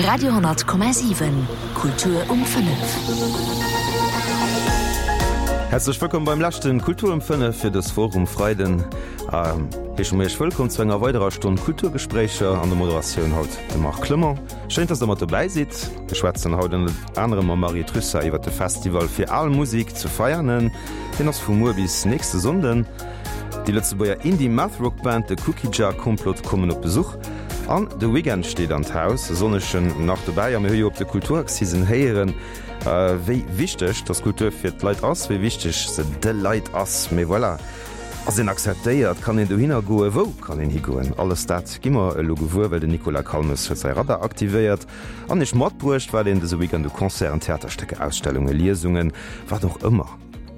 Radio,7 Kultur um 5. Häerzlech wëllkomm beim leschten Kultur um 5 fir dës Woch um Freiden. Heesche mer Iech wëllkomm zu enger weiderer Stonn Kulturgespréicher. An der Moderatioun haut de Marc Clement. Schéin, dass der mat dobäi sidd. Mir schwätzen haut ënnert anerem mam Marie Trussart iwwer de Festival fir al Musik zu Veianen. Deen ass vu muer bis nächste Sonnden. Déi Lëtzebuerger Indie-Math-Rock-Band The Cookie Jar Complot kommen op Besuch. An de Weekend steet an d'Haus, e sonnegen nach dobäi. A mir hu jo op de Kulturaccisen héieren, wéi wichteg dass Kultur fir d'Leit ass, wéi wichteg se de Leit ass. Mee voilà, ass een acceptéiert? Kann een dohinner goen? Wou kann een higoen? Alles dat gi mer elo gewuer, well den Nicolas Calmes huet säi Radar aktivéiert an iech matbruecht, wat een dëse Weekend u Concerten, Theaterstécker, Ausstellungen, Liesungen, wat och ëmmer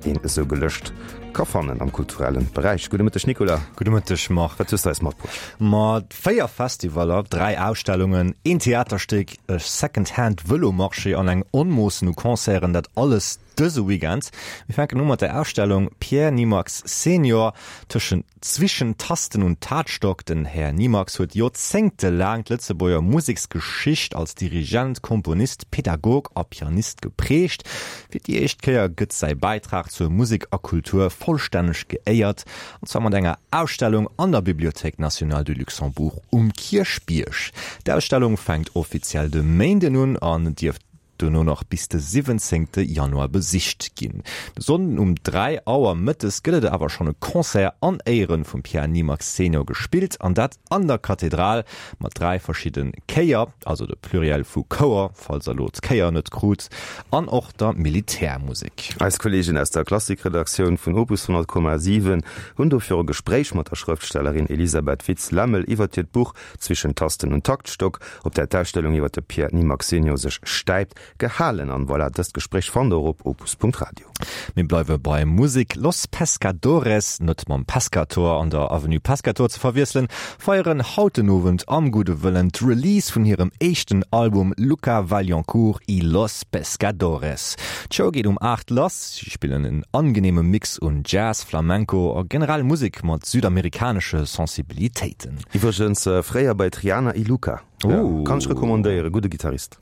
een esou gelëscht ka fannen am kulturellen Beräich. Gudde Mëtteg Nicolas. Gudde Mëtteg Marc. Wat hues de eis matbruecht? Ma 4 Festivaller, 3 Ausstellungen, een Theaterstéck, e Second-Hand Vëlomarché an eng Onmoossen u Concerten, dat alles dëse Weekend. Mir fänken u mat der Ausstellung Pierre Nimax Senior, tëschent Zwischen Tasten und Taktstock. Den Här Nimax huet joerzéngtelaang d'Lëtzebuerger Museksgeschicht als Dirigent, Komponist, Pädagog a Pianist geprägt. Fir déi éischt Kéier gëtt säi Bäitrag zur Musek a Kultur vollstänneg geéiert, an zwar mat enger Ausstellung an der Bibliothèque nationale du Luxembourg um Kierchbierg. D'Ausstellung fänkt offiziell de Méinden un an dierf duerno nach bis de 17 Januar besicht ginn. De Sonnden um 3 Auer mëttes gëtt et awer schonn e Concert an Éieren vum Pierre Nimax Senior gespillt, an dat an der Kathedral mat 3 verschidde Chéier, also de Pluriel vu Chouer, falls der elo d'Chéier net krut, an och der Militärmusek. Eis Kolleegen aus der Klassikredaktioun vun Opus 100,7 hunn dofir e Gespréich mat der Schrëftstellerin Elisabeth Witz-Lemmel iwwert hiert Buch Zwischen Tasten und Taktstock, op där d'Ausstellung iwwer de Pierre Nimax Senior sech stäipt, gehalen. An voilà, dëst Gespréich fannt der och op opus.radio. Mir bleiwe bei Musek. Los Pescadores, net mam Pescator an der Avenue Pescator ze verwiesselen, feieren haut den Owend am Gudde Wëllen d'Release vun hirem éischten Album Luca Vaillancourt y Los Pescadores. D'Show geet um 8 lass. Si spillen en angeneeme Mix un Jazz, Flamenco a generell Musek mat südamerikanesche Sensibilitéiten. Iwwregens fréier bei Triana y Luca. Kann ech recommandéieren, gudde Gitarrist.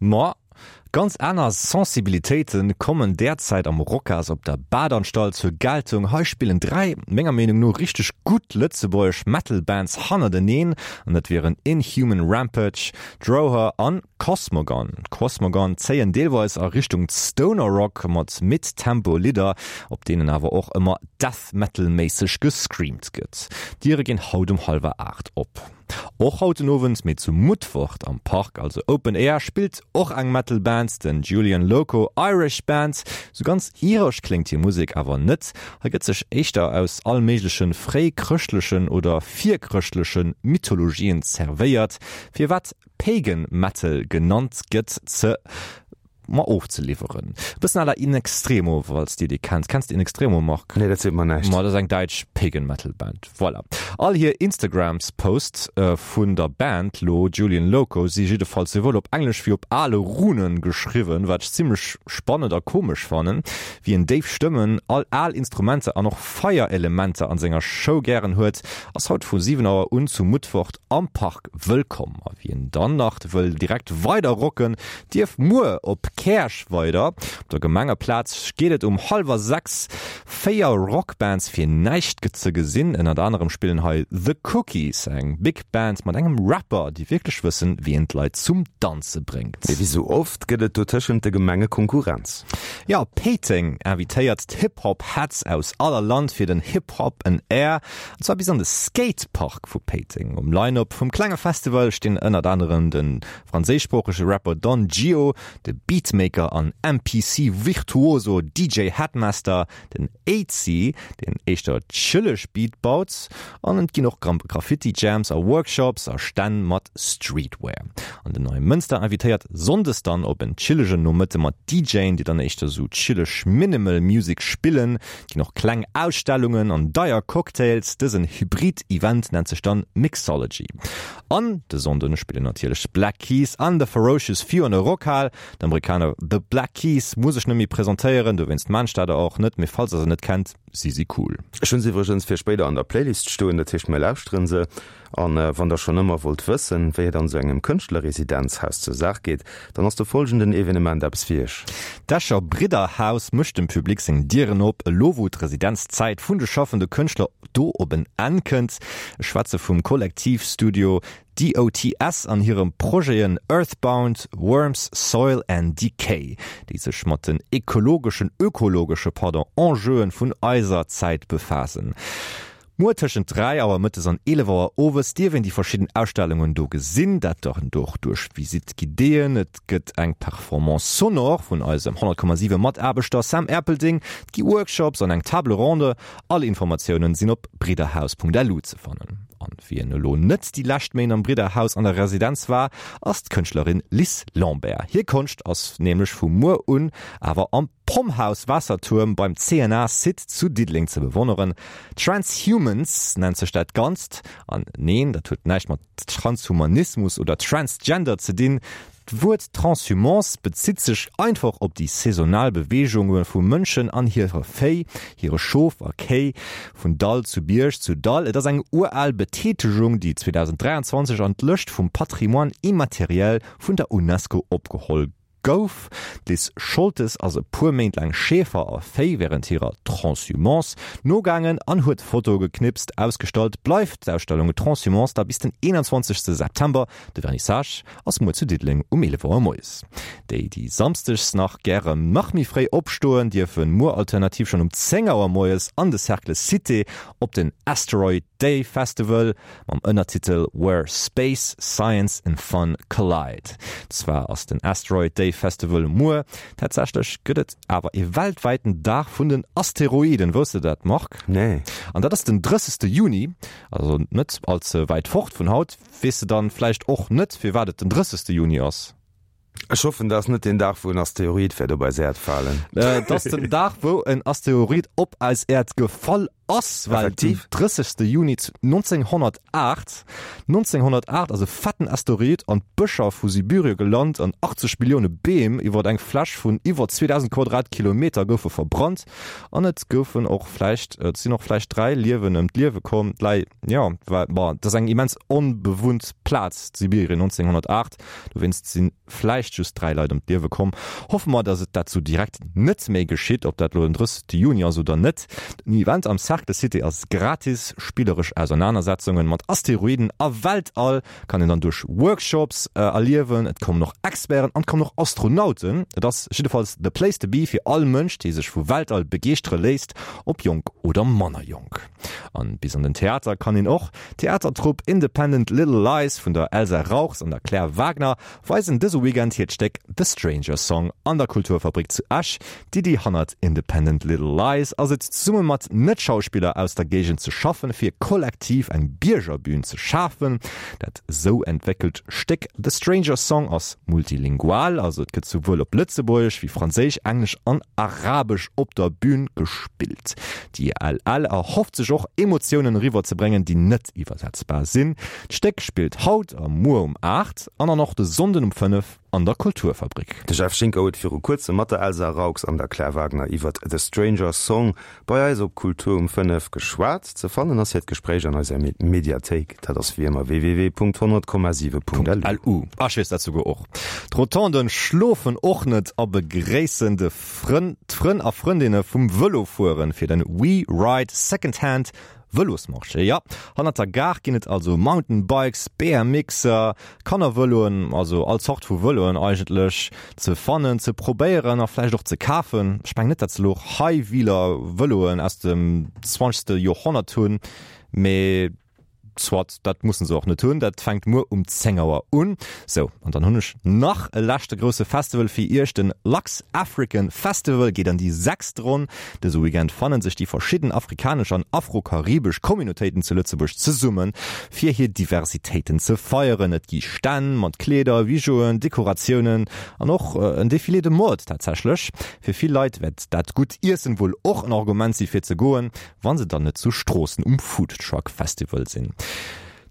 Ma ganz aner Sensibilitéite kommen derzäit am Rocas op der Badanstalt zur Geltung. Hei spillen 3, menger Meenung no, richteg gutt lëtzebuergesch Metal Bands hannerteneen an dat wieren Inhuman Rampage, Droher an Cosmogon. Cosmogon zéien deelweis a Richtung Stoner Rock mat Mid-Tempo Lidder, op deenen awer och ëmmer Death Metal méisseg gescreamt gëtt. D'Diere ginn haut um hallwer 8 op. Och haut den Owend, mee zu Mutfert am Park, also Open Air, spillt och eng Metal Band, den Julian Loco Irish Band. Sou ganz iresch kléngt hir Musek awer net. Hei gëtt sech éischter aus all méigleche fréichrëschtlechen oder virchrëschtleche Mythologien zerwéiert, firwat Pagan Metal genannt gëtt, ze ma ofzeliwweren. E bëssen à la In Extremo, falls dir déi kennt. Kenns de In Extremo, Marc? Nee, dat seet mer näischt. Ma dat ass eng däitsch Pagan Metal Band. Voilà. All hir Instagrams Posts vun der Band lo, Julian Loco, si jiddefalls souwuel op Englesch wéi op ale Runen geschriwwen, wat ech zimmlech spannend a komesch fannen. Wien déif Stëmmen, all al Instrumenter an och Feierelementer an senger Show gären huet, ass haut vu 7 Auer un zu Mutfort am Park wëllkomm. A wien dann nach wëll direkt weider rocken, dierf muer op Käerch weider. Op der Gemengeplaz geet et um hallwer 6. 4 Rockbands fir näischt ze gesinn. Ënnert anerem spillen hei The Cookies, eng Big Band mat engem Rapper, déi wierklech wëssen, wéi een d'Leit zum Danze bréngt. Mee wéi sou oft gëtt et do tëschent de Gemenge Konkurrenz. Jo, Péiteng invitéiert d'Hip-Hop Heads aus aller Land fir den Hip Hop 'n Air. An zwar bis an de Skatepark vu Péiteng. Um Line-Up vum klenge Festival stinn ënnert anerem de franséischsproochege Rapper Don Gio, de Beatmaker an MPC-Virtuoso DJ Headmaster, den Aidsy, deen éischter chilleg Beat baut, an et ginn och Graffiti-Jams a Workshops a Stänn mat Streetwear. An den Neimënster invitéiert sonndes dann op en chillegen Nomëtte mat DJen, déi dann éischter sou chilleg Minimal Music spillen. Et ginn och kleng Ausstellungen an deier Cocktails. Dësen Hybrid-Event nennt sech dann Mixology. An de Sonnden spillen natierlech d'Black Keys an The Ferocious Few an der Rockhal. D'Amerikaner The Black Keys muss ech net méi presentéieren, dowéinst maan ech dat och net. Mee falls der se net kennt. Si si cool. Ech hunn se iwwregens fir spéider an der Playlist stoen, dat heescht mir lauschteren se. An wann der schonn ëmmer wollt wëssen, wéi et an esou engem Kënschtlerresidenzhaus zur Saach geet, dann ass de folgenden Evenement eppes fir iech. D'Escher Bridderhaus mécht dem Public seng Dieren op, elo wou d'Residenzzäit vun de schaffende Kënschtler do op en Enn kënnt. Ech schwätze vum Kollektiv Studio DOTS an hirem Projeten Earthbound, Worms, Soil and Decay, déi sech mat den ekologeschen, ökologesche, pardon, Enjeuen vun eiser Zäit befaassen. Muer tëschent 3 Auer mëttes an 11 Auer owes dierf een déi verschidden Ausstellungen do gesinn, dat dann och duerch Visite guidéeën. Et gëtt eng Performance sonore vun eisem 100,7 Mataarbechter Sam Erpelding, et gi Workshops an eng Table ronde. All Informatiounen sinn op bridderhaus.lu ze fannen. An wien elo net déi lescht Méint am Bridderhaus an der Residenz war, ass d'Kënschtlerin Liz Lambert. Hir Konscht ass nämlech vu muer un awer am Pomhouse Waassertuerm beim CNA Site zu Diddeleng ze bewonneren. Transhumance nennt sech dat Ganzt. An neen, dat huet näischt mat Transhumanismus oder Transgender ze dinn. D'Wuert Transhumance bezitt sech einfach op déi saisonal Beweegunge vu Mënschen an hire Véi, hire Schof a Kéi, vun Dall zu Bierg zu Dall. Et ass eng ural Betätegung, déi 2023 an d'Lëscht vum Patrimoine immatériel vun der UNESCO opgeholl gouf. D'Liz Scholtes ass e puer Méint laang Schäfer a Véi wärend hirer Transhumance nogaangen an huet Fotoe geknipst. Ausgestallt bleift d'Ausstellung Transhumance da bis den 21 September. De Vernissage ass muer zu Diddeleng um 11 Auer moies. Déi, déi samsdegs nach gären nach méi fréi opstoen, dierfen muer alternativ schonn um 10 Auer moies an de Cercle Cité op den Asteroid Day Festival mam Ënnertitel Where Space, Science and Fun Collide. Zwar ass den Asteroid Day Festival muer, tatsächlech gëtt et awer ee weltwäiten Dag vun den Asteroiden. Wousst de dat, Marc? Nee. An dat ass den 30. Juni, also net all ze wäit fort vun haut. Weess de dann vläicht och net firwat et den 30 Juni ass? Ech hoffen dat ass net den Dag wou en Asteroid wäert op eis Äerd falen. Et ass den Dag wou en Asteroid op eis Äerd gefall ass, well den 30 Juni 1908, 1908 ass e fetten Asteroid an d'Bëscher vu Sibyrie gelant an 80 Millioune Beem iwwert eng Fläch vun iwwer 2000 Quadratkilometer goufe verbrannt. An et goufen och vläicht, et sinn och vläicht 3 Liewen ëm d'Liewe komm. D'Lei, jo, well, bon, et ass eng immens onbewunnt Plaz, Sibirien 1908, dowéinst si vläicht just 3 Leit ëm d'Liewe komm. Hoffe mer, datt et dat sou direkt net méi geschitt, ob dat elo den 30. Juni ass oder net. Den Event am Cercle Cité ass gratis. Spilleresch Ausernanersetzungen mat Asteroiden a Weltall kann een dann duerch Workshops erliewen, et kommen och Experten an et kommen och Astronauten. Et ass jiddefalls the place to be fir all Mënsch, dee sech vu Weltall begeeschtere léisst, ob jonk oder manner jonk. An bis an den Theater kann een och. D'Theatertrupp Independent Little Lies vun der Elsa Rauchs an der Claire Wagner weisen dëse Weekend hiert Stéck The Stranger Song an der Kulturfabrik zu Esch. D'Iddi hannert Independent Little Lies ass et, zesumme mat Net-Schauspiller aus der Géigend ze schaffen, fir kollektiv eng Biergerbühn ze schafen. Dat sou entwéckelt Stéck The Stranger Song ass multilingual, also et gëtt souwuel op Lëtzebuergesch wéi Franséisch, Englesch an Arabesch op der Bühn gespillt. D'ILL erhofft sech och, Emotiounen eriwwer ze bréngen, déi net iwwersetzbar sinn. D'Stéck spillt haut a muer um 8 an an och de Sonnden um 5 an der Kulturfabrik. De Jeff Schinker huet viru kuerzem mat der Elsa Raux an der Claire Wagner iwwert The Stranger Song bei eis op Kultur um 5 geschwat. Ze fannen ass hiert Gespréich an eiser Mediathéik, dat ass wéi ëmmer www.100,7.lu. Ech weess dat souguer och. D'Rotonden schlofen och net a begréissen de Frënn, d'Frënn a Frëndinne vum Vëlofueren fir den We Ride Second Hand Vëlosmarché. Jo, hannert der Gare ginn et also Mountainbikes, BMXer, Kannervëloen, also all Zort vu Vëloen eigentlech ze fannen, ze probéieren a vläicht och ze kafen. Ech mengen net, dat se elo High-Wheeler Vëloen aus dem zwanzegste Joerhonnert hunn, mee Soit, dat mussen se och net hunn. Dat fänkt muer um 10 Auer un. Sou, an dann hunn ech nach e leschte grousse Festival fir iech. Den Lux African Festival geet an déi sechst Ronn. Dëse Weekend fannen sech déi verschidden afrikanesch an afro-karibesch Communautéiten zu Lëtzebuerg zesummen, fir hir Diversitéiten ze feieren. Et gi Stänn mat Kleeder, Bijouen, Dekoratiounen an och en Défilé de mode tatsächlech. Fir vill Leit wäert dat gutt Iessen wuel och en Argument si fir ze goen. Wann se dann net zu Stroossen um Food Truck Festival sinn.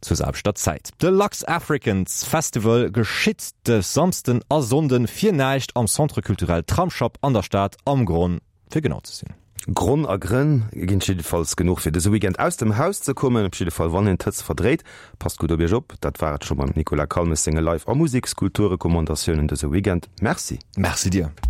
Zur selwechter Zäit. De Lux Africans Festival geschitt de Samsden a Sonnden fir näischt am Centre Culturel Tramsschapp an der Stad, am Gronn fir genau ze sinn. Gronn a Grënn ginn et jiddefalls genuch fir dëse Weekend aus dem Haus ze kommen, op jidde Fall wann een d'Hëtzt verdréit. Passt gutt op iech op. Dat war et scho mam Nicolas Calmes senge Live a Musekskulturrecommandatiounen dëse Weekend. Merci. Merci dir.